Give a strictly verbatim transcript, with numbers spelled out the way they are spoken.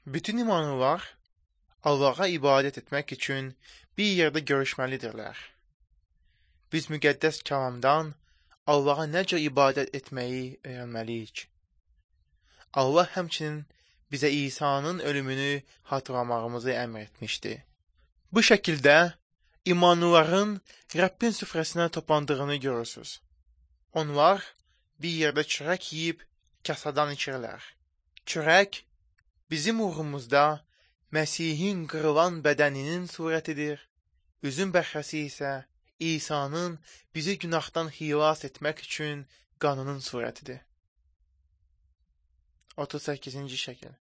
Bütün imanlılar Allah'a ibadət etmək üçün bir yerdə görüşməlidirlər. Biz müqəddəs kəlamdan Allah'a necə ibadət etməyi öyrənməliyik. Allah həmçinin bizə İsa'nın ölümünü hatırlamağımızı əmr etmişdi. Bu şəkildə imanlıların Rəbbin süfrəsinə toplandığını görürsünüz. Onlar bir yerdə çörək yeyib kasadan içirlər. Çörək bizim uğrumuzda Məsihin qırılan bədəninin surətidir. Üzüm bəhrəsi isə İsa'nın bizi günahdan xilas etmək üçün qanının surətidir. otuz səkkizinci şəkil.